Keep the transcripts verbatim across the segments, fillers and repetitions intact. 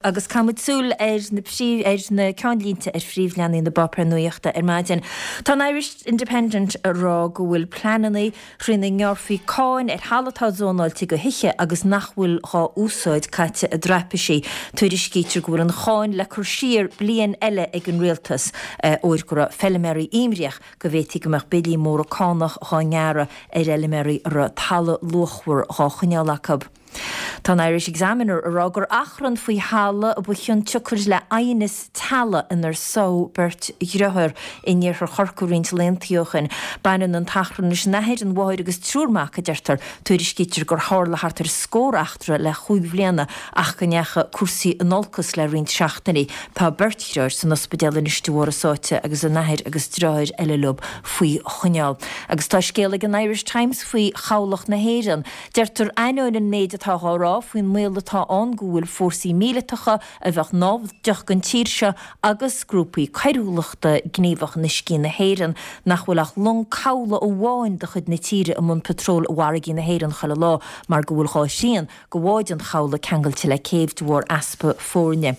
Agus caithfimid súil ar na ar na ceannlínte ar phríomhleathanaigh na bpáipéar nuachta ar maidin. Tá an Irish Independent ag rá go bhfuil pleananna trína ngearrfaí cáin ar thalamh atá zónáilte do thithe agus nach bhfuil dhá úsáid caite i dtraipisí. Tuairiscítear go bhfuil an cháin le cur siar bliain eile ag an rialtas óir go raibh feilméaraí imníoch go bhféadfaí go mbeadh billí móra cánach dhá ngearradh ar fheilméaraí a raibh talamh luachmhar dhá choinneáil acu. Tá an Irish Examiner ag rá gur achrann faoi thalamh a ba chionsiocair le aighneas teaghlaigh inar sádh beirt dheartháir in iarthar Chorcaí roinnt laethanta ó shin. Baineann an t-achrann leis an athair, an mháthair agus triúr mac a deirtear. Tuairiscítear gur tharla thart ar scór eachtra le chúig bhliana ach go ndeachaigh cúrsaí in olcas le roinnt seachtainí. Tá beirt dheartháir san ospidéal anois de bharr a sáite agus an athair agus deartháir eile leo faoi choinneáil. Agus tá scéal ag an Irish Times faoi chabhlach na hÉireann. Deirtear ainneoin an méid atá á rá faoin mbaol atá ann go bhfuil fórsaí míleatacha a bheadh naimhdeach don tír seo agus grúpaí coiriúlachta gníomhach in uiscí na hÉireann nach bhfuil ach long cabhlaigh amháin de chuid na tíre i mbun patról i bhfarraigí na hÉireann chuile lá mar go bhfuil dhá thrian de bháid an chabhlaigh ceangailte le céibh de bharr easpa foirne.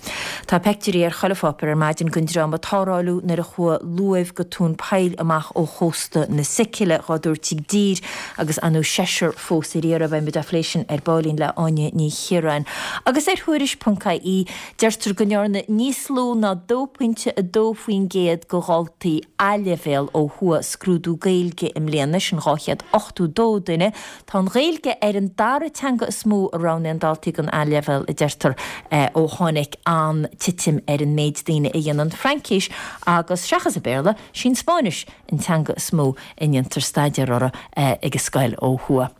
Tá peictiúirí ar chuile pháipéar ar maidin den dráma a tarlú nuair a chuaigh luamh go tóin poill amach ó chósta na Sicile dhá dtabhairt i dtír agus anú seisear fós ar iarraidh. Beidh muid á phlé sin ar baillín le Áine Ní Chiaráin. Agus ar Thuairisc.ie deirtear go ndearna níos lú ná dó pointe a dó faoin gcéad de dhaltaí A-leibhéal ó thuaidh scrúdú Gaeilge i mbliana sin dhá chéad ochtó dó duine. Tá an Ghaeilge ar an dara teanga is mó a roghnaíonn daltaí don A-leibhéal a deirtear ó tháinig an titim ar an méid daoine a dhéanann Fraincis agus seachas an Béarla, sin Spáinnis an teanga is mó a ndéantar staidéar orthu ag an scoil ó thuaidh.